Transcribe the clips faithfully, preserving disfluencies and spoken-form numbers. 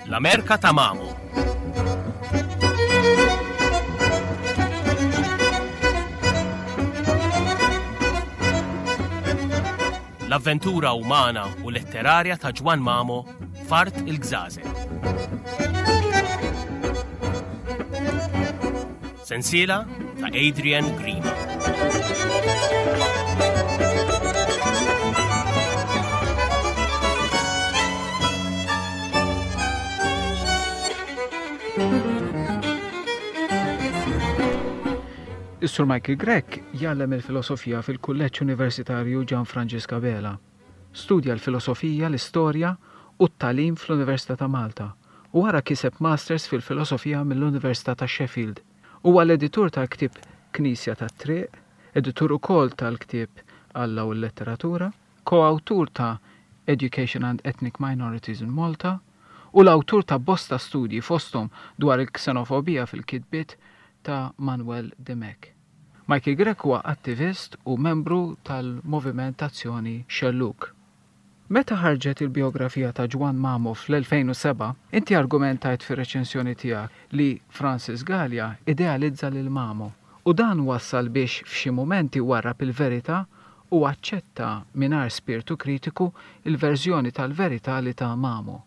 L-Amerka ta' Mamo. L-avventura umana u letterarja ta' Ġwann Mamo f'Art il-Gżażel. Sensiela ta' Adrian Grima. Is-Sur Michael Grech jgħallem il-filosofija fil-Kulleġġ Universitarju Ġan Franġisk Abela. Studja l-filosofija, l-istorja u t-tagħlim fl-Università ta' Malta u wara kiseb Masters fil-Filosofija mill-Università ta' Sheffield. Huwa l-editur tal-ktieb Knisja tat-Triq, editur ukoll tal-ktieb Alla u l-Letteratura, koawtur ta' Education and Ethnic Minorities in Malta u l-awtur ta' bosta studji fosthom dwar il-ksenofobija fil-kitbiet ta' Manuel Dimech. Michael Grech huwa attivist u membru tal-Moviment Azzjoni Xellug. Meta ħarġet il-biografija ta' Ġwann Mamo fl-elfejn u sebgħa, inti argumentajt fir-reċensjoni tiegħek li Francis Galea idealizza lil Mamo u dan wassal biex f'xi mumenti warrab il-verità u aċċetta mingħajr spirtu kritiku il-verżjoni tal-verità li ta' Mamo.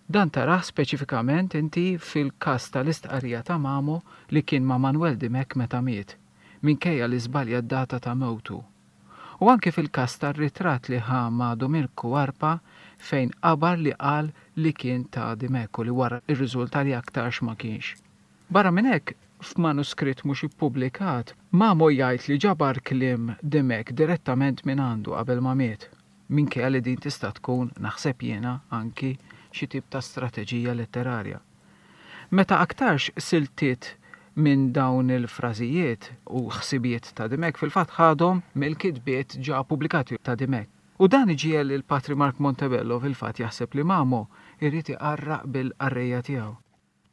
Dan taraħ speċifikament inti fil-każ tal-istqarrija ta' Mamo li kien ma' Manuel Dimech meta miet, minkejja li żbalja d-data ta' mewtu. U anke fil-każ tar-ritratt li ħa ma' Duminku Arpa fejn qabar li qal li kien ta' Dimech u li wara ir-riżulta li aktarx ma kienx. Barra minn hekk, f'manuskritt mhux ippubblikat, Mamo jgħid li ġabar kliem Dimech direttament minn għandu qabel ma miet, minkejja li din tista' tkun, naħseb jiena, anki xi tip ta' strateġija letterarja. Meta aktarx siltiet minn dawn il-frażijiet u ħsibijiet ta' Dimech fil-fatt ħadhom mill-kitbiet ġa pubblikati ta' Dimech. U dan iġiegħel lil Patri Mark Montebello fil-fatt jaħseb li Mamo irid iqarraq bil-qarrejja tiegħu.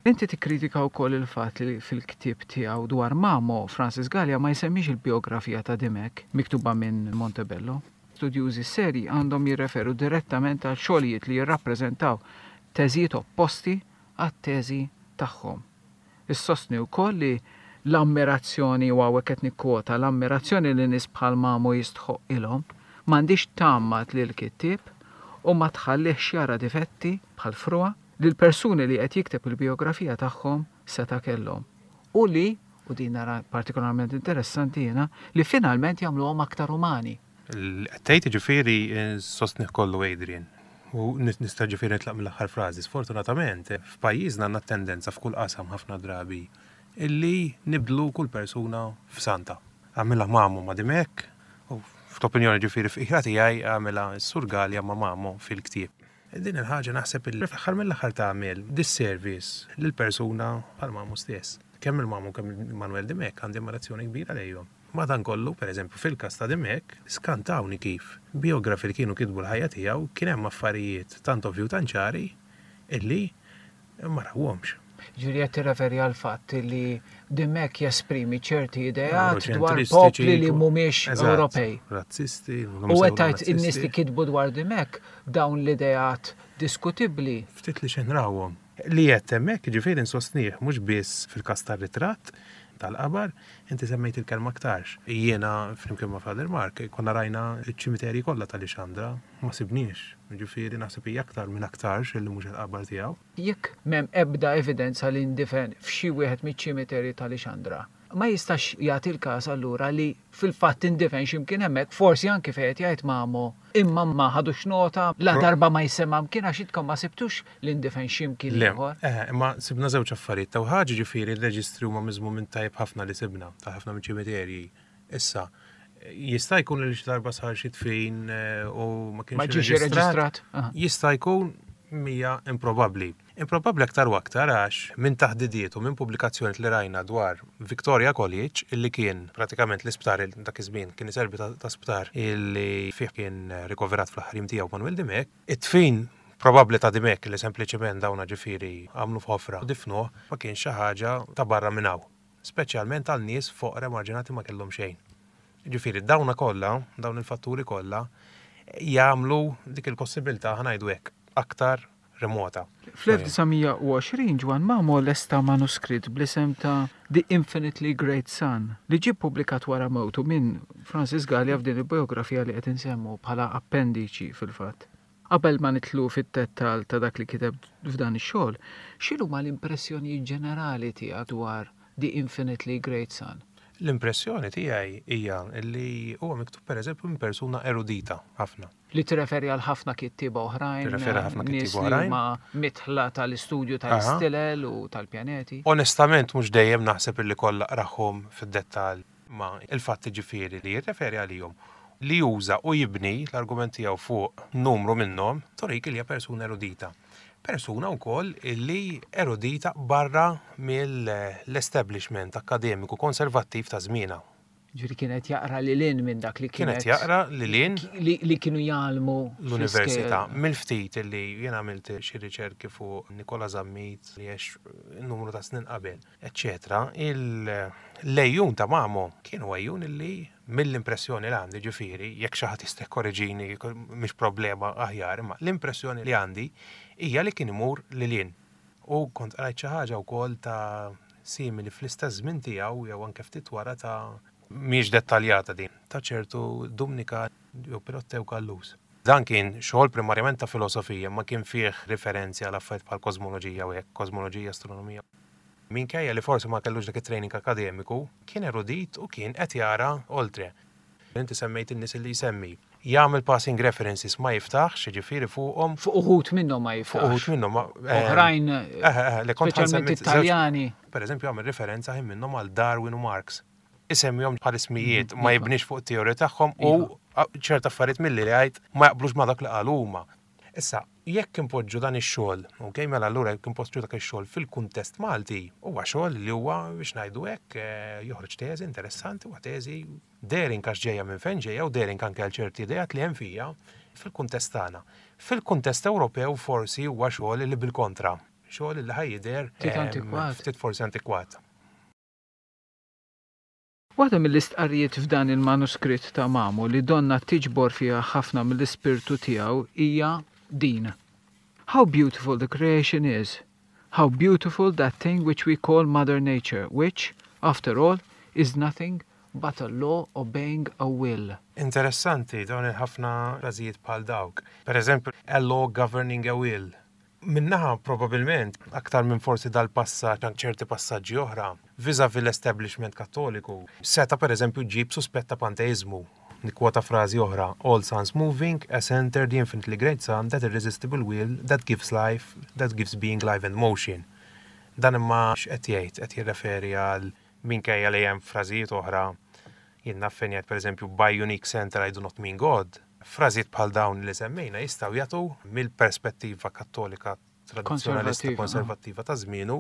Inti tikkritika wkoll il-fatt li fil-ktieb tiegħu dwar Mamo, Francis Galea ma jsemmix il-biografija ta' Dimech miktuba minn Montebello. Studjużi seri għandhom jirreferu direttament għal xogħlijiet li jirrappreżentaw teżijiet opposti għat-teżi tagħhom. Issostni wkoll li l-ammirazzjoni, u hawnhekk qed nikkwota, l-ammirazzjoni li nies bħal Mamo jistħoq ilhom m'għandix tgħammad lil kittieb u ma tħallihx jara difetti bħal frua li l-persuni li qed jikteb il-biografija tagħhom seta' kellhom. U li, u din nara partikolarment interessanti jiena, li finalment jagħmluhom aktar umani. Tgħid ġifieri sostnih kollu Adrian. U nista' ġifieri nitlaq mill-aħħar frażi. Sfortunatament, f'pajjiżna għandna tendenza f'kull qasam ħafna drabi illi nibdlu kull persuna f'santa. Għamilha Mamo ma' Dimech, u f'opinjoni ġifieri f'qira tiegħi għamilha s-Sur Galea ma' Mamo fil-ktieb. Din il-ħaġa naħseb illi fl-aħħar mill-aħħar tagħmel disservice lill-persuna bħal Mamo stess. Kemm il-Mamo kemm il-Manuel Dimech għandi ammirazzjoni kbira lejhom. Madankollu, per eżempju, fil-każ ta' Dimech, skantawni kif biografi li kienu kitbu l-ħajja tiegħu kien hemm affarijiet tant ovvju tant ċari illi ma rawhomx. Ġifieri qed tirreferi għal fatt li Dimech jesprimi ċerti ideat dwar Euroċentristiċi, popli li mhumiex eżatt, Ewropej. Razzisti, U qed tgħid in-nies li kitbu dwar Dimech dawn l-ideat diskutibbli. Ftit li xejn rawhom. Li qed hemmhekk ġifieri nsostnih mhux biss fil-każ tar-ritratt tal-qabar, inti semmejt il-kelma aktarx. Jiena flimkien ma' Father Mark konna rajna ċ-ċimiterji kollha tal-Lixandra, ma sibniex. Ġifieri naħseb hija aktar minn aktarx illi mhux il-qabar tiegħu. Jekk m'hemm ebda evidenza li ndifen f'xi wieħed miċ-ċimiterji tal-Lixandra, ma jistax jagħti l-każ allura li fil-fatt indifen x'imkien hemmhekk, forsi anki fejn qed jgħid Mamo, imma ma ħadux nota, la Pro- darba ma jsemma mkien għax intkom ma sibtux li ndifen x'imkien Le, ieħor. eh, imma sibna żewġ affarijiet. Taw ħaġa ġifieri r-reġistri huma miżmum minn tajjeb ħafna li sibna, ta' ħafna minn ċimiterji. Issa, jista' jkun li xi darba sar xi tfin, eh, u ma kienx Ma ġiex irreġistrat. irreġistrat. Aha. Jista' jkun mija improbabbli. Improbabbli aktar u aktar għax minn taħdidiet u minn pubblikazzjoni li rajna dwar Victoria College, illi kien pratikament l-isptar il dak iż-żmien kien iservi ta', ta' sptar illi fih kien rikoverat fl-aħħar jiem tiegħu Manuel Dimech, it-tfin Probabbli ta' dimek li sempliċement dawna ġifieri għamlu f'ħofra u difnuh ma kienx xi ħaġa ta' barra minn hawn. Speċjalment għal nies foqra, emarġinati, ma kellhom xejn. Ġifieri dawna kollha, dawn il-fatturi kollha jagħmlu dik il-possibilità, ħa ngħidu hekk, aktar remota. Fl-elf disa' mija u għoxrin Ġwann Mamo lesta manuskritt bl-isem ta' The Infinitely Great Sun li ġie publikat wara mewtu minn Francis Gallia f'din il-biografija li qed insemmu bħala appendiċi fil-fatt. Qabel ma nidħlu fit-dettall ta' dak li kiteb f'dan ix-xogħol, x'inhuma l-impressjonijiet ġenerali tiegħek dwar The Infinitely Great Sun? L-impressjoni tiegħi hija li huwa miktub, pereżempju, minn persuna erudita ħafna. Li tirreferi għal ħafna kittieba oħrajn, Tirreferi għal ħafna nies kittieba li oħrajn. huma mitħla tal-istudju tal-istilel u tal-pjaneti. Onestament, mhux dejjem naħseb illi kollha qrahom fid-dettall, ma il-fatt ġifieri li jirreferi għalihom, li juża u jibni l-argument tiegħu fuq numru minnhom, turik li hija persuna erudita. Persuna wkoll illi erudita barra mill-establishment akademiku konservattiv ta' żmienha. Ġifieri kienet jaqra lil hinn minn dak li Kienet kienet jaqra lil hinn li, li kienu jgħallmu l-università. fl-iskejjel. Mill-ftit li jien għamilt xi riċerki fuq Nikola Zammit li għex numru ta' snin qabel, eccetera. Il-għejun ta' Mamo kienu għejun illi mill-impressjoni li għandi, ġifieri, jekk xi ħadd jista' jkorreġini, mhix problema, aħjar, imma l-impressjoni li għandi hija li kien imur lil hinn. U kont qrajt xi ħaġa wkoll ta' simili fl-istess żmien tiegħu jew anke ftit wara, ta' mhijiex dettaljata din, ta' ċertu Dumnika jew Pirottew Callus. Dan kien xogħol primarjament ta' filosofija, ma kien fih referenzi għal affarijiet bħal kosmoloġija u hekk, kosmoloġija, astronomija. Minkejja li forsi ma kellux dak it-training akademiku, kien erudit u kien qed jara oltre. Inti semmejt in-nies li jsemmi. Jagħmel passing references, ma jiftaħx, ġifieri, fuqhom. Fuq uħud minnhom ma Fuq uħud jiftaħx. minnhom ma- eh, Oħrajn, eh, eh, li kont speċjalment ħansemmi żewġ- Italjani. Per eżempju, għamel referenza ħin minnhom għal Darwin u Marx. Isemmihom bħal ismijiet, ma jibnix fuq teorija tagħhom u ċerta affarijiet milli li għajt ma jaqblux ma dak li qalu huma. Issa, jekk impoġġu dan ix-xogħol, ok, mela allura jekk impoġġu dak ix-xogħol fil-kuntest Malti, huwa xogħol li huwa, biex ngħidu hekk, eh, joħroġ teżi interessanti, huwa teżi daring għax ġejja minn fejn ġejja u daring anke għal ċerti ideat li hemm fija fil-kuntest tagħna. Fil-kuntest Ewropew forsi huwa xogħol li bil-kontra, xogħol li ħa jidher Ftit em, antikwat. Ftit forsi antikwat. Waħda mill-istqarrijiet f'dan il-manuskritt ta' Mamo li donna tiġbor fiha ħafna mill-ispirtu tiegħu hija din: "How beautiful the creation is! How beautiful that thing which we call Mother Nature, which, after all, is nothing but a law obeying a will." Interessanti dawn il-ħafna frażijiet bħal dawk. Per eżempju, "a law governing a will". Minnaħa probabilment, aktar minn forsi dal-passaġġ, ċerti passaġġi oħra, vis-a-vis l-establishment kattoliku, seta per eżempju ġib suspett ta' panteizmu. Nikkwota frażi oħra: "All suns moving, as enter the infinitely great sun, that irresistible will that gives life, that gives being life and motion." Dan imma x'qed jgħid? Qed jirreferi għal, minkejja li hemm frażijiet oħra, jien naf fejn jgħid, pereżempju, "By unique center I do not mean God". Frażijiet bħal dawn li semmejna jistgħu jagħtu mill-perspettiva kattolika tradizzjonalista Konservattiva, konservattiva ta' żmienu,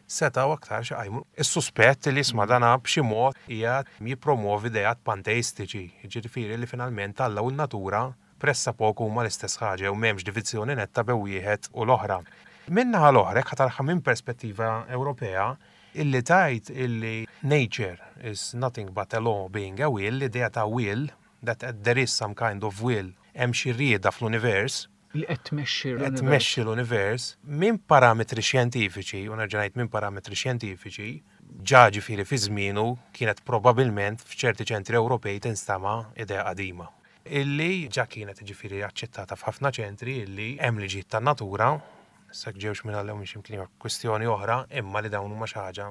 setgħu aktar xi qajmu is-suspett li isma' dana b'xi mod qiegħed jippromovi ideat panteistiċi, ġifieri li finalment Alla u n-natura pressappoku huma l-istess ħaġa u m'hemmx diviżjoni netta bejn wieħed u l-oħra. Min-naħa l-oħra, jekk ħa taraha minn perspettiva Ewropea, illi tajt illi nature is nothing but a law being a will, l-idea ta' will, that there is some kind of will, hemm xi rieda fl-univers, Li qed tmexxi qed l-univers. tmexxi l-univers minn parametri xjentifiċi, u nerġa' ngħid minn parametri xjentifiċi, ġa ġifieri fi żmienu kienet probabilment f'ċerti ċentri Ewropej tinstama' idea qadima. Illi ġa kienet ġifieri aċċettata f'ħafna ċentri illi hemm liġijiet tan-natura, issa ġewx minn Alla mhix imkien kwistjoni oħra, imma li dawn huma xi ħaġa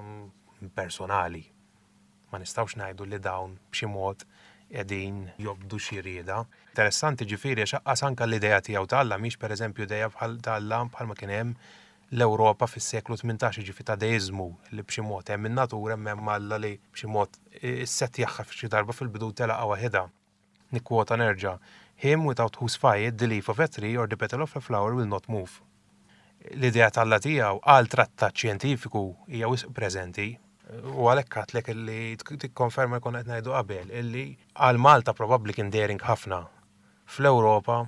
personali. Ma nistgħux ngħidu li dawn b'xi mod qegħdin jobdu xi rieda. Interessanti ġifieri għax aqqas anke l-idea tiegħu ta' Alla mhix, pereżempju, idea bħal ta' Alla bħalma kien hemm l-Ewropa fis-seklu tmintax, ġifi ta' deizmu li b'xi mod hemm in-natura, hemm Alla li b'xi mod issettjaha f'xi darba fil-bidu telaqa waħedha. Nikkwota nerġa': "Him without whose fire the leaf of a tree or the petal of a flower will not move." L-idea tal-Alla tiegħu għal trattat xjentifiku hija wisq preżenti u għalhekk għedtlek illi tikkonferma konna qed ngħidu qabel illi għal Malta probabbli kien daring ħafna. Fl-Ewropa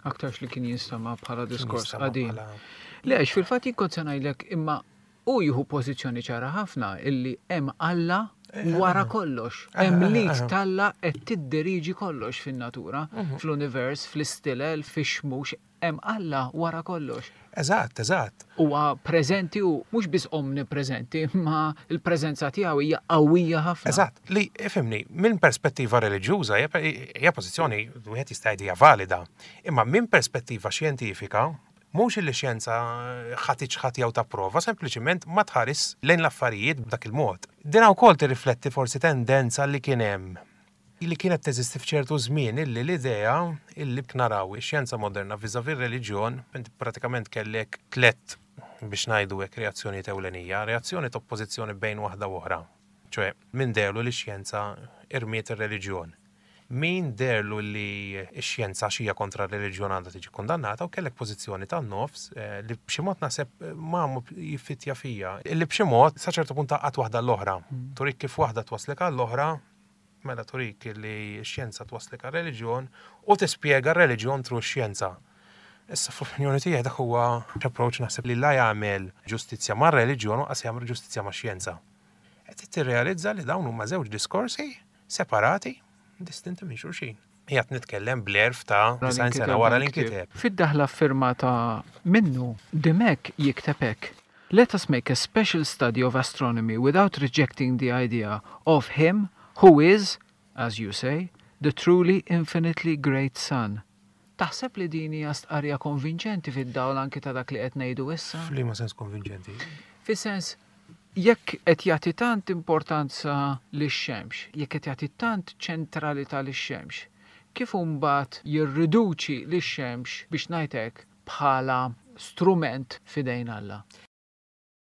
Aktarx li kien jinstama' bħala diskors qadim. Le, għax fil-fatt jien kont se ngħidlek imma hu jieħu pożizzjoni ċara ħafna illi hemm Alla eh, wara eh. kollox. Eh, hemm l-id t'Alla qed tiddiriġi kollox fin-natura, mhm. fl-univers, fl-istilel, fix-xmux, hemm Alla wara kollox. Eżatt, eżatt. Huwa preżenti u mhux biss omnipreżenti, imma l-preżenza tiegħu hija qawwija ħafna. Eżatt, li ifhimni, minn perspettiva reliġjuża hija pożizzjoni wieħed jista' jgħid hija valida, imma minn perspettiva xjentifika mhux li xjenza ħa tiċħad jew tapprova, sempliċiment ma tħares lejn l-affarijiet b'dak il-mod. Din wkoll tirrifletti forsi tendenza li kien hemm li kienet teżisti f'ċertu żmien illi l-idea illi naraw ix-xjenza moderna vis-à-vis reliġjon, inti pratikament kellek tlet biex ngħidu hekk reazzjoni ewlenija, reazzjoni ta' oppożizzjoni bejn waħda u oħra. ċoè, min deherlu li x-xjenza irmiet ir-reliġjon. Min deherlu li x-xjenza xija kontra r-reliġjon għandha tiġi kondannata u kellek pożizzjoni tan-nofs eh, li b'xi mod naħseb eh, Mamo jiffittja fija. Li b'xi mod sa ċertu punt taqgħat waħda l-oħra. Mm. Turik kif waħda twaslek għall-oħra, mela turik li x-xjenza twaslek għal-reliġjon u tispjega r-reliġjon through x-xjenza. Issa fl-opinjoni tiegħi dak huwa approach naħseb li la jagħmel ġustizzja mar-reliġjon u lanqas jagħmel ġustizzja max-xjenza. Qed tirrealizza li dawn huma żewġ diskorsi separati, distinti minn xulxin. Qiegħed nitkellem bl-għerf ta' disgħin sena wara l-inkiteb. Fid-daħla firmata minnu, Dimech jikteb hekk. Let us make a special study of astronomy without rejecting the idea of him who is, as you say, the truly infinitely great sun. Taħseb li din hija stqarrija konvinċenti fid-dawl anki ta' dak li qed ngħidu issa? F'liema sens konvinċenti? Fis-sens jekk qed jagħti tant importanza lix-xemx, jekk qed jagħti tant ċentralità lix-xemx, kif mbagħad jirriduċi lix-xemx biex ngħidlek bħala strument f'idejn Alla?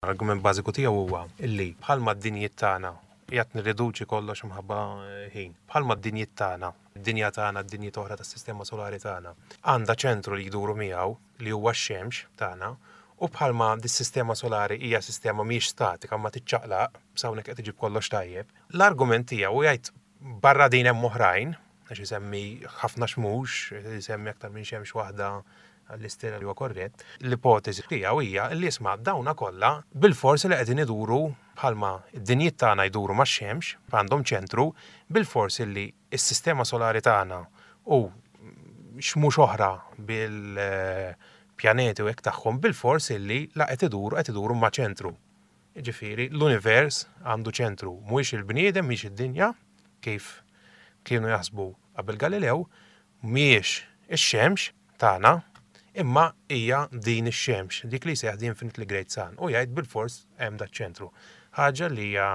L-argument bażiku tiegħu huwa illi bħalma d-dinjiet tagħna qiegħed nirriduċi kollox imħabba ħin. Bħalma d-dinjiet tagħna, id-dinja tagħna, d-dinjiet oħra tas-sistema solari tagħna, għandha ċentru li jduru miegħu li huwa x-xemx tagħna, u bħalma dis-sistema solari hija sistema mhijiex statika ma tiċċaqlaq, s'hawnhekk qed iġib kollox tajjeb. L-argument tiegħu jgħid barra din hemm oħrajn, għax isemmi ħafna xmux, isemmi aktar minn xemx waħda għall-istella li huwa korrett. L-ipotezi tiegħu hija li isma' dawna kollha bil-forsi li qegħdin iduru bħalma id-dinjiet tagħna jduru max-xemx, għandhom ċentru, bil-forsi li s-sistema solari tagħna u xmux oħra bil-pjaneti u hekk tagħhom bil-forsi li la qed iduru qed iduru ma' ċentru. Ġifieri l-univers għandu ċentru, mhuwiex il-bniedem, mhix id-dinja, kif kienu jaħsbu qabel Galileo, mhijiex ix-xemx tagħna, imma hija din ix-xemx, dik li jsejjaħ the infinitely great sun, u jgħid bil-fors hemm dat ċentru. Ħaġa li hija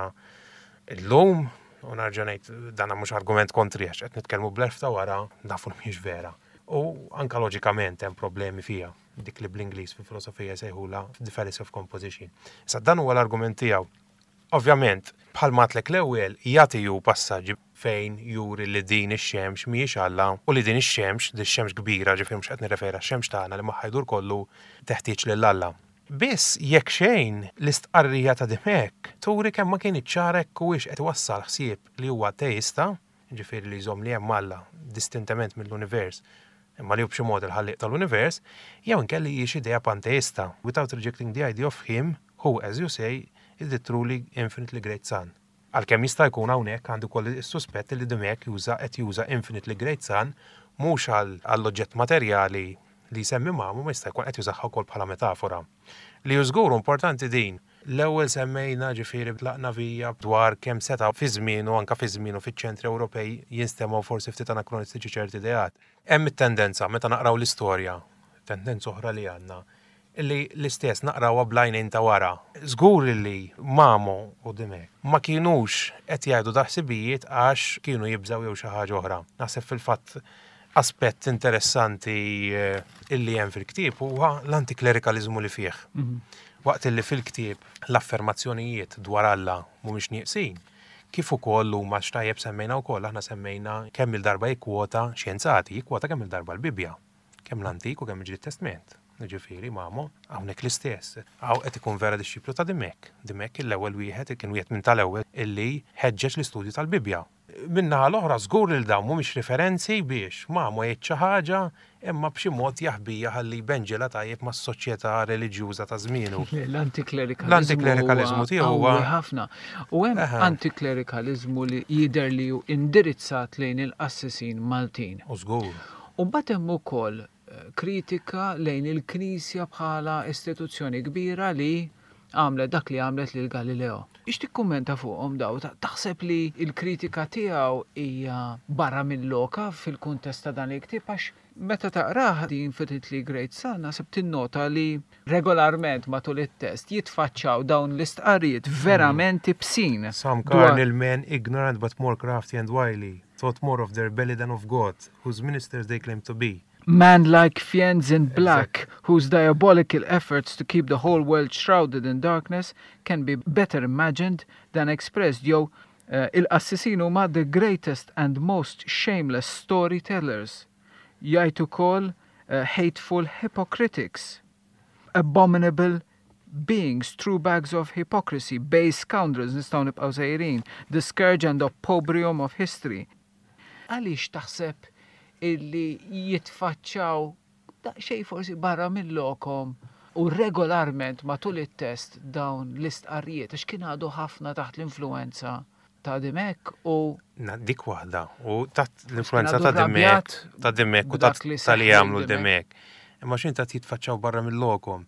llum, u nerġa' ngħid dan mhux argument kontri għax qed nitkellmu bl-għerf ta' wara nafu li mhijiex vera. U anka loġikament hemm problemi fiha, dik li bl-Ingliż fil-filosofija jsejħula the fallacy of composition. Issa dan huwa l-argument tiegħu. Ovvjament, bħalma għedtlek l-ewwel jagħti ju passaġġi fejn juri li din ix-xemx mhijiex Alla u li din ix-xemx, din ix-xemx kbira, ġifieri mhux qed nirreferi għax-xemx tagħna li magħha jdur kollu teħtieġ lil Alla. Biss jekk xejn l-istqarrija ta' Dimech turi kemm ma kien ċara jekk huwiex qed iwassal ħsieb li huwa teista, ġifieri li jżomm li hemm Alla distintament mill-univers, imma li hu b'xi mod il-ħallieq tal-univers, jew inkelli hijiex idea panteista, without rejecting the idea of him who, as you say, is the truly infinitely great sun. Għalkemm jista' jkun hawnhekk għandu wkoll is-suspett li Dimech juża qed juża infinitely great sun mhux għall-oġġett materjali li jsemmi Mamo, ma jista' jkun qed jużaha wkoll bħala metafora. Li hu żgur importanti din. L-ewwel semmejna ġifieri tlaqna vija dwar kemm seta' fi żmienu anka fi żmienu fiċ-ċentri Ewropej jinstemgħu forsi ftit anakronistiċi ċerti ideat. Hemm it-tendenza meta naqraw l-istorja, tendenza oħra li għandna, illi l-istess naqrawha bl-għajnejn ta' wara. Żgur li Mamo u Dimech ma kienux qed jgħidu daħsibijiet għax kienu jibżaw jew xi ħaġa oħra. Naħseb fil-fatt aspett interessanti eh, illi hemm fil-ktieb huwa l-antiklerikalizmu li fih. Mhm. Waqt illi fil-ktieb l-affermazzjonijiet dwar Alla mhumiex nieqsin, kif ukoll huma x'tajjeb semmejna wkoll aħna semmejna kemm il-darba jikkwota xjenzati, jikkwota kemm il-darba l-Bibbja, kemm l-Antik u kemm il-Ġdid Testament. Ġifieri Mamo, hawnhekk l-istess. Hawn qed ikun vera dixxiplu ta' Dimech. Dimech l-ewwel wieħed kien wieħed minn tal-ewwel illi ħeġġeġ l-istudju tal-Bibbja. Min-naħa l-oħra żgur li dawn mhumiex referenzi biex Mamo jgħid xi ħaġa imma b'xi mod jaħbija ħalli jbenġela tajjeb mas-soċjetà reliġjuża ta' żmienu. L-antiklerikalizmu L-antiklerikalizmu tiegħu huwa ħafna. U hemm antiklerikalizmu li jidher li hu indirizzat lejn il-qassisin Maltin. U żgur. U mbagħad hemm ukoll eh, kritika lejn il-Knisja bħala istituzzjoni kbira li għamlet dak li għamlet lil Galileo. Ix tikkummenta fuqhom daw, taħseb li il-kritika tiegħu hija barra minn loka fil-kuntest ta' dan il-ktieb għax meta taqrah The Infinitely Great Sun naħseb tinnota li regolarment matul it-test jitfaċċaw dawn l-istqarrijiet verament ibsin. Some carnal men, ignorant but more crafty and wily, thought more of their belly than of God, whose ministers they claim to be. Man-like fiends in black, whose diabolical efforts to keep the whole world shrouded in darkness can be better imagined than expressed. Jew uh, il-qassisin huma the greatest and most shameless storytellers. Jgħid ukoll uh, hateful hypocritics, abominable beings, true bags of hypocrisy, base scoundrels, nistgħu nibqgħu sejrin, the scourge and opprobrium of history. Għaliex taħseb illi jitfaċċaw daqsxejn forsi barra minn lokom u regolarment matul it-test dawn l-istqarrijiet għax kien għadu ħafna taħt l-influenza ta' Dimech u Na, dik waħda u taħt l-influenza għadu ta' Dimech, rrabjat ta' Dimech u b'dak ta' li ta' li seħħ jagħmlu lil Dimech. Dimech. Imma x'int ta' jitfaċċaw barra mill-lokom.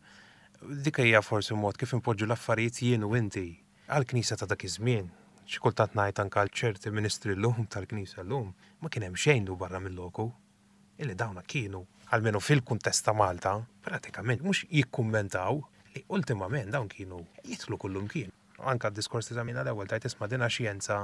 Dik hija forsi mod kif impoġġu l-affarijiet jien u inti għall-knisja ta' dak iż-żmien. Xi kultant ngħid anke għal ċerti ministri llum tal-knisja llum, ma kien hemm xejn du barra mill-loku. Illi dawna kienu, almenu fil-kuntest ta' Malta, pratikament mhux jikkummentaw li ultimament dawn kienu jidħlu kullum kien. Anka d-diskors ta' żamina l-ewwel tajt isma' dina xjenza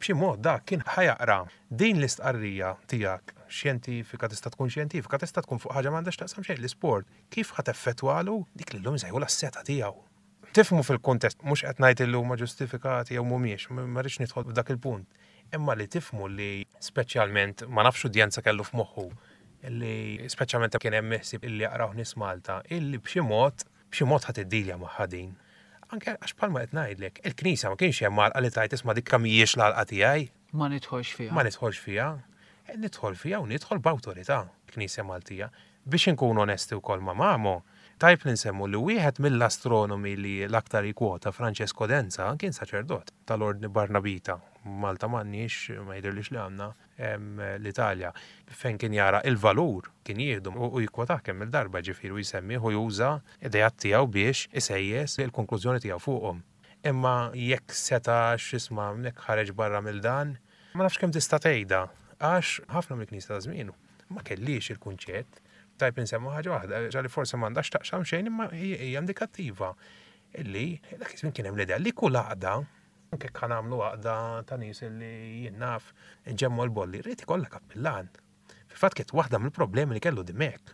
b'xi mod dak kien ħa jaqra din l-istqarrija tiegħek xjentifika tista' tkun xjentifika, tista' tkun fuq ħaġa m'għandax taqsam xejn l-isport. Kif ħa teffettwalu dik li llum jsejħu l-seta tiegħu. Tifhmu fil-kuntest, mhux qed ngħid illi huma ġustifikati jew mhumiex, ma rridx nidħol f'dak il-punt. Imma li tifhmu li speċjalment ma nafx udjenza kellu f'moħħu illi speċjalment kien hemm ħsieb illi jaqraw nies Malta, illi b'xi mod b'xi mod ħadd iddilja magħha din. Anke għax bħalma qed ngħidlek, il-Knisja ma kienx hemm għalqa li tajt isma' dik mhijiex l-għalqa tiegħi. Ma nidħolx fiha. Ma nidħolx fiha. E, nidħol fiha u nidħol b'awtorità Knisja Maltija. Biex inkunu onesti wkoll ma' Mamo, tajb li nsemmu li wieħed mill-astronomi li l-aktar jikwota Francesco Denza kien saċerdot tal-Ordni Barnabita. Malta m'għandniex, ma jidhirlix li għandna l-Italja. Fejn kien jara il-valur kien jieħdu u jikkwotah kemm il-darba ġifieri u jsemmi u juża idejat tiegħu biex isejjes il-konklużjoni tiegħu fuqhom. Imma jekk seta x'isma' jekk ħareġ barra mill-dan, ma nafx kemm tista' tgħidha għax ħafna mill-Knisja ta' żmienu ma kellix il-kunċett. Tajb insemmu ħaġa waħda, ġali forsi m'għandax taqsam xejn imma hija indikattiva illi dak iż-żmien kien hemm l-idea li kull għaqda anke kan għamlu għaqda ta' nies li jien naf nġemmu l-bolli, rrid ikollha kappillan. Fil-fatt kienet waħda mill-problemi li kellu Dimech.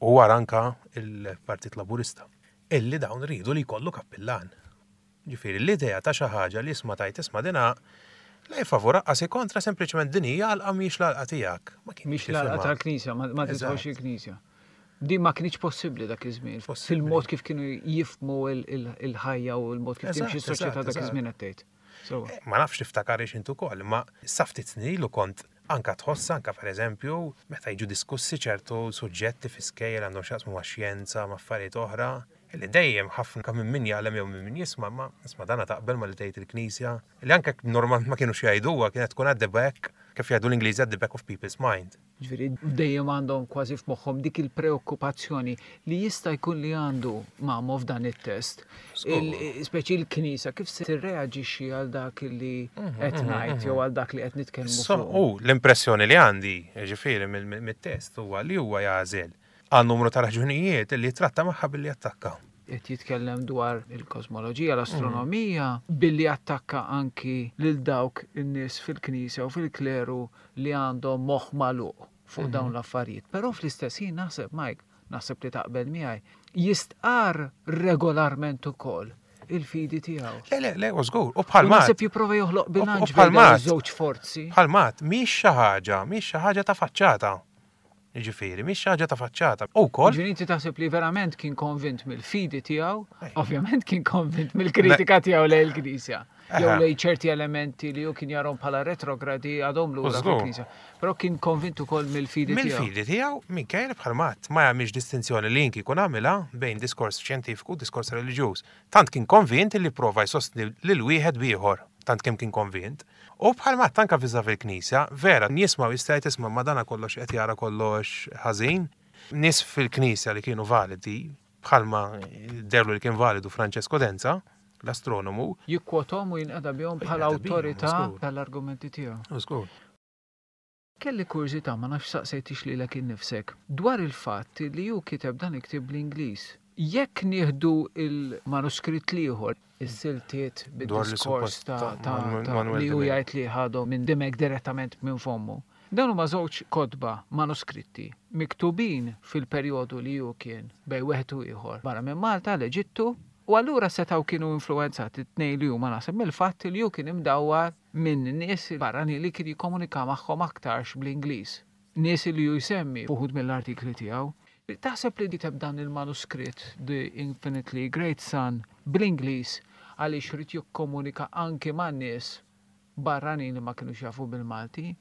U wara anka il-Partit Laburista. Illi dawn rridu li jkollu kappillan. Ġifieri l-idea ta' xi ħaġa li isma' tajt isma' dina la favur qasi kontra sempliċement din hija għalqa mhix l-għalqa tiegħek. Ma kienx Mhix l-għalqa tifhimha. tal-Knisja, ma ma tidħolx il-Knisja. Din ma kienx possibbli dak iż-żmien. Possibbli. Fil-mod kif kienu jifhmu il-ħajja u l-mod kif timxi Eżatt, s-soċjetà eżatt, dak iż-żmien qed tgħid. Sewwa. Eh, Ma nafx tiftakar ix intu ukoll, ma sa ftit snin ilu kont anka tħoss anka pereżempju meta jiġu diskussi ċertu suġġetti fi skejjel għandhom x'jaqsmu ma' xjenza, ma' affarijiet oħra, li dejjem ħafna minn min jgħallem jew minn min jisma' ma isma' dana taqbel ma li tgħid il-Knisja, li anke normal ma kienux jgħiduha kienet tkun at the back, kif jgħidu l-Ingliżi at the back of people's mind. Ġifieri dejjem għandhom kważi f'moħħhom dik il-preokkupazzjoni li jista' jkun li għandu Mamo f'dan it-test. Żgur. Speċi l-Knisja kif se tirreaġixxi għal dak li qed ngħid jew għal dak li qed nitkellmu So, fuq. u l-impressjoni li għandi, ġifieri mill-test huwa li huwa jagħżel għal numru ta' raġunijiet li tratta magħha billi attakka. Qed jitkellem dwar il-kosmoloġija, l-astronomija, billi attakka anki lil dawk in-nies fil-Knisja u fil-kleru li għandhom moħħ magħluq fuq dawn l-affarijiet. Però fl-istess ħin naħseb, Mike, naħseb li taqbel miegħi, jistqar regolarment ukoll il-fidi tiegħu. Le, le, le, u żgur. U U bħal naħseb jipprova joħloq bilanċ u bħal bejn dawn mat. iż-żewġ forzi. Bħal mat, mhix xi ħaġa, mhix xi ħaġa ta' faċċata. Ġifieri, mhix xi ħaġa ta' faċċata. U wkoll Ġifieri inti taħseb li verament kien konvint mill-fidi tiegħu, ovvjament kien konvint mill-kritika tiegħu lejn il-Knisja. jew lejn ċerti elementi li hu kien jarahom bħala retrogradi għadhom lura fil-Knisja. Però kien konvint ukoll mill-fidi tiegħu. Mill-fidi tiegħu minkejja bħal matt ma jagħmilx distinzjoni li kien ikun għamilha bejn diskors xjentifiku u diskors reliġjuż. Tant kien konvint li prova jsostni lil wieħed b'ieħor, tant kemm kien konvint. U bħal matt anka viża fil-Knisja, vera, nisma' jista' tisma' ma dana kollox qed jara kollox ħażin. Nies fil-Knisja li kienu validi, bħalma derlu li kien validu Francesco Denza, l-astronomu. Jikkwotom u jinqeda bihom bħala awtorità tal-argumenti tiegħu. Kelli kurżità, ma nafx saqsejtix lilek innifsek, dwar il-fatt li hu kiteb dan il-ktieb bl-Ingliż. Jekk nieħdu il-manuskritt l-ieħor, is-siltiet bid-diskors ta' li hu jgħid li ħadhom minn Dimech direttament minn fommu. Dan huma żewġ kotba manuskritti miktubin fil-perjodu li hu kien bejn wieħed u ieħor barra minn Malta, l-Eġittu, u allura setgħu kienu influwenzati t-tnejn li huma naħseb mill-fatt li hu kien imdawwar minn nies barranin li kien jikkomunika magħhom aktarx bl-Ingliż. Nies li hu jsemmi f'uħud mill-artikli tiegħu. Taħseb li kiteb dan il-manuskritt The Infinitely Great Sun bl-Ingliż għaliex ried jikkomunika anki man-nies barranin li ma kinux jafu bil-Malti,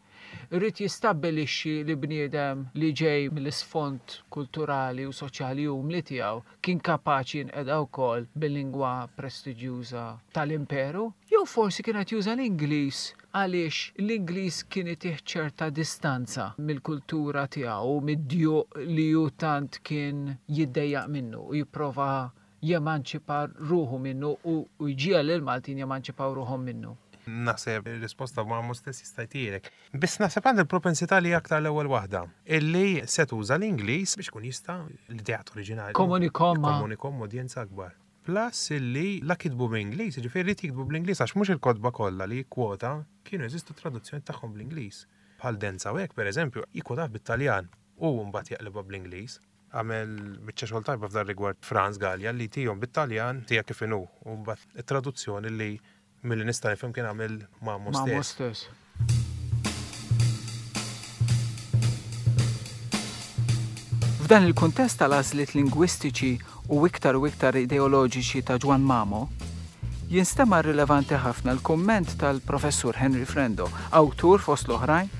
ried jistabbilixxi li bniedem li ġej mill-isfond kulturali u soċjali umli tiegħu kien kapaċi jinqeda wkoll bil-lingwa prestiġjuża tal-imperu, jew forsi kien qed juża l-Ingliż għaliex l-Ingliż kien itih ċerta distanza mill-kultura tiegħu u mid-djuq li hu tant kien jiddejjaq minnu u jipprova jemanċipa ruħu minnu u jġiegħel lill-Maltin jemanċipaw ruħhom minnu. Naħseb il-risposta ma mhux stess jista' jtielek. Biss naħseb għandi l-propensità li aktar l-ewwel waħda, illi se tuża l-Ingliż biex kun jista' l-ideat oriġinali. Komunikom ma' Komunikom udjenza akbar. Plus illi la kitbu bl-Ingliż, jiġifieri li kitbu bl-Ingliż għax mhux il-kotba kollha li jikkwota kienu jeżistu traduzzjoni tagħhom bl-Ingliż. Bħal Denza u hekk pereżempju, jikkwota bit-Taljan u mbagħad jaqlibha bl-Ingliż. Għamel biċċa xogħol tajba f'dan rigward Franz Gallia li tihom bit-Taljan tiegħek kif inhu u mbagħad it-traduzzjoni li milli nista' nifhem kien għamel Mamo Mamo stess. stess. F'dan il-kuntest tal-għażliet lingwistiċi u iktar u iktar ideoloġiċi ta' Ġwann Mamo, jinstema' rilevanti ħafna l-kumment tal-professur Henry Frendo, awtur fost l-oħrajn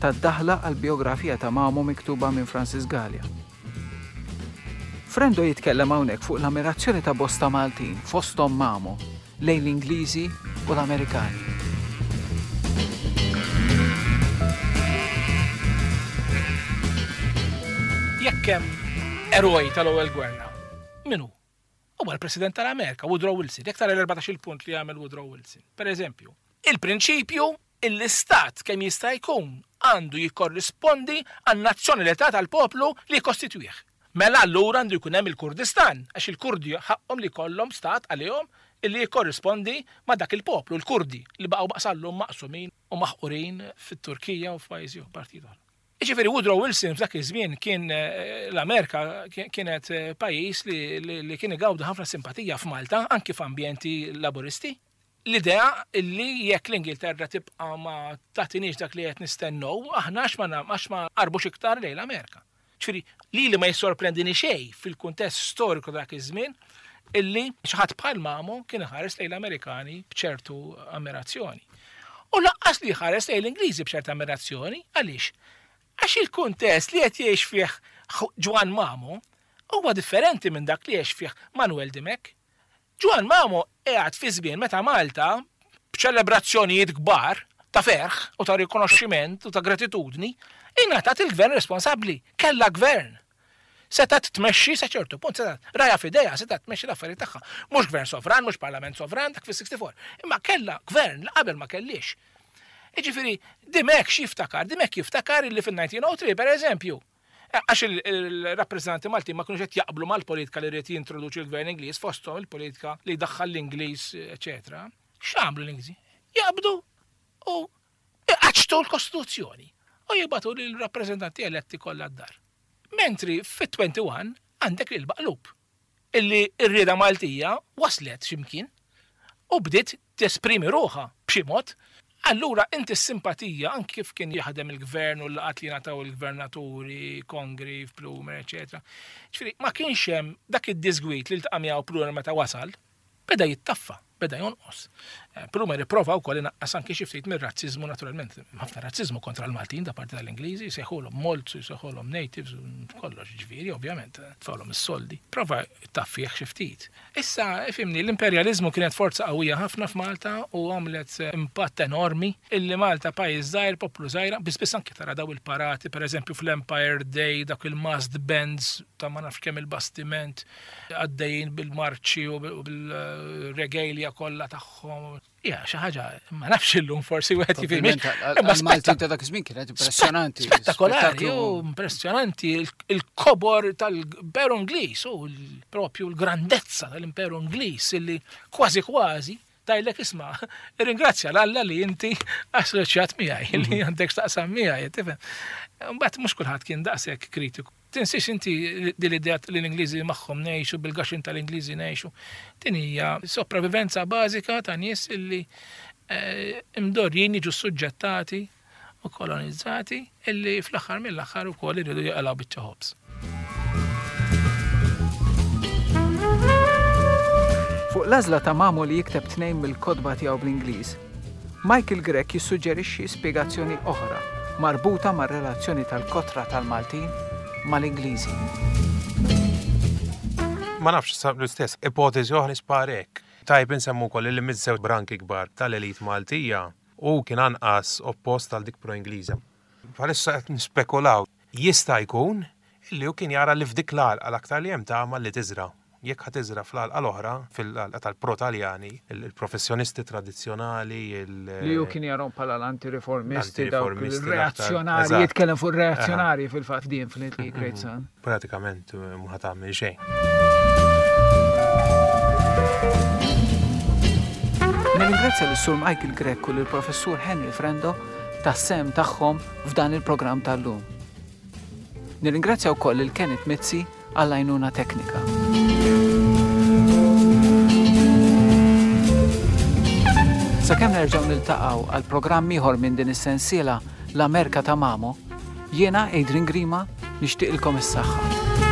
tad-daħla għall-biografija ta' Mamo miktuba minn Francis Galea. Frendo jitkellem hawnhekk fuq l-ammirazzjoni ta' bosta Maltin fosthom Mamo lejn l-Ingliżi u l-Amerikani. Jekk hemm eroj tal-ewwel gwerra, min hu? Huwa l-President tal-Amerika, Woodrow Wilson. Jekk tara l-erbatax-il punt li għamel Woodrow Wilson. Per eżempju, il-prinċipju l-istat kemm jista' jkun għandu jikkorrispondi għan-nazzjonalità tal-poplu li jikkostitwih. Mela allura għandu jkun hemm il-Kurdistan, għax il-Kurdi ħaqhom li jkollhom stat għalihom illi jikkorrispondi ma' dak il-poplu, il-Kurdi, li baqgħu baqsallhom maqsumin u maħqurin fit-Turkija u f'pajjiżi u partijiet oħra. Jiġifieri Woodrow Wilson f'dak iż-żmien kien, eh, l-Amerika kien, kienet, eh, pajjiż li, li, li kien igawdu ħafna simpatija f'Malta, anki f'ambjenti laburisti. L-idea illi jekk l-Ingilterra tibqa' ma tagħtinix dak li qed nistennew, aħna għax ma na-, għax ma qarbux iktar lejn l-Amerika. Ġifieri, li li ma jissorprendini xejn fil-kuntest storiku dak iż-żmien illi xi ħadd bħal Mamo kien iħares lejn l-Amerikani b'ċertu ammirazzjoni. U lanqas li jħares lejn l-Ingliżi b'ċerta ammirazzjoni, għaliex? Għax il-kuntest li qed jgħix fih Ġwann Mamo huwa differenti minn dak li jgħix fih Manuel Dimech. Ġwann Mamo qiegħed fi żmien meta Malta b'ċelebrazzjonijiet kbar ta' ferħ u ta' rikonoxximent u ta' gratitudni ingħatat il-gvern responsabbli, kellha gvern. Setgħet tmexxi sa ċertu punt, setgħet raja f'idejha, setgħet tmexxi l-affarijiet tagħha. Mhux gvern sovran, mhux parlament sovran, dak fis-sixty-four. Imma kellha gvern li qabel ma kellix. Jiġifieri, Dimech x'jiftakar? Dimech jiftakar illi fin-nineteen oh three, per eżempju, għax il-, il-rappreżentanti Maltin ma kinux qed jaqblu mal-politika li ried jintroduċi l-gvern Ingliż, fosthom il-politika li jdaħħal l-Ingliż, eċetera. X'għamlu l-Ingliżi? Jaqbdu u iqaċċtu l-Kostituzzjoni u jibgħatu lill-rappreżentanti eletti kollha d-dar. Mentri fit-twenty-one għandek il-baqlub illi r-rieda Maltija waslet x'imkien u bdiet tesprimi ruħha b'xi mod. Allura inti s-simpatija anki kif kien jaħdem il-gvern u l-laqat li ngħataw il-gvernaturi, Congreve, Plumer, eċetera. Ġifieri ma kienx hemm dak id-disgwit li ltaqa' miegħu Plumer meta wasal, beda jittaffa. beda jonqos. Plumer ipprova wkoll inaqqas anki xi ftit mir-razziżmu naturalment. Ħafna razziżmu kontra l-Maltin da parti tal-Ingliżi, jsejħulhom molts, jsejħulhom natives, kollox ġifieri, ovvjament, tfawlhom is-soldi. Prova taffih xi ftit. Issa, ifhimni, l-imperjaliżmu kienet forza qawwija ħafna f'Malta u għamlet impatt enormi illi Malta pajjiż żgħir, poplu żgħira, biss biss anki tara daw il-parati, pereżempju fl-Empire Day, dak il-massed bands ta' ma nafx kemm il-bastiment għaddejjin bil-marċi u bil-regalia kollha tagħhom. Ja, xi ħaġa, ma nafx illum forsi wieħed jifhimx. Imma Maltin ta' dak iż-żmien kienet impressjonanti. Spettakolari, u impressjonanti il-kobor tal-Imperu Ingliż u propju l-grandezza tal-Imperu Ingliż illi kważi kważi tajlek isma' ringrazzja l-Alla li inti assoċjat miegħi, li għandek x'taqsam miegħi, tifhem. Mbagħad mhux kulħadd kien daqshekk kritiku. Tinsiex inti din l-idea li l-Ingliżi magħhom ngħixu, bil-gaxin tal-Ingliżi ngħixu. Din hija sopravivenza bażika ta' nies illi imdorjin jiġu suġġettati u kolonizzati illi fl-aħħar mill-aħħar ukoll iridu jaqalgħu biċċa ħobż. Fuq l-għażla ta' Mamo li jikteb tnejn mill-kotba tiegħu bl-Ingliż, Michael Grech jissuġġerixxi spjegazzjoni oħra marbuta mar-relazzjoni tal-kotra tal-Maltin mal-Ingliżi. Ma nafx sa l-istess ipotezi oħra nisparek. Tajb insemmu wkoll li miż-żewġ branki kbar tal-elit Maltija u kien anqas oppost għal dik pro-Ingliża. Bħalissa qed nispekulaw. Jista' jkun illi hu kien jara li f'dik l-għalqa l-aktar li hemm tama li tiżra'. Jekk ħa tiżra' fl-għalqa l-oħra, fil-għalqa tal-pro-Taljani, il-professjonisti tradizzjonali, il- Li hu kien jarahom bħala l-antireformisti, dawk L-antireformisti, il-reazzjonari, l-aktar- jitkellem fuq ir-reazzjonari fil-fatt di Infinitely Great Son. Pratikament ma ħa tagħmel xejn. Nirringrazzja lis-Sur Michael Grech u lill-Professur Henry Frendo tas-sem tagħhom f'dan il-programm tal-lum. Nirringrazzja wkoll lil Kenneth Mizzi għall-għajnuna teknika. Sakemm nerġgħu niltaqgħu għal programm ieħor minn din is-sensiela l-Amerika ta' Mamo, jiena Adrian Grima nixtieqilkom is-saħħa.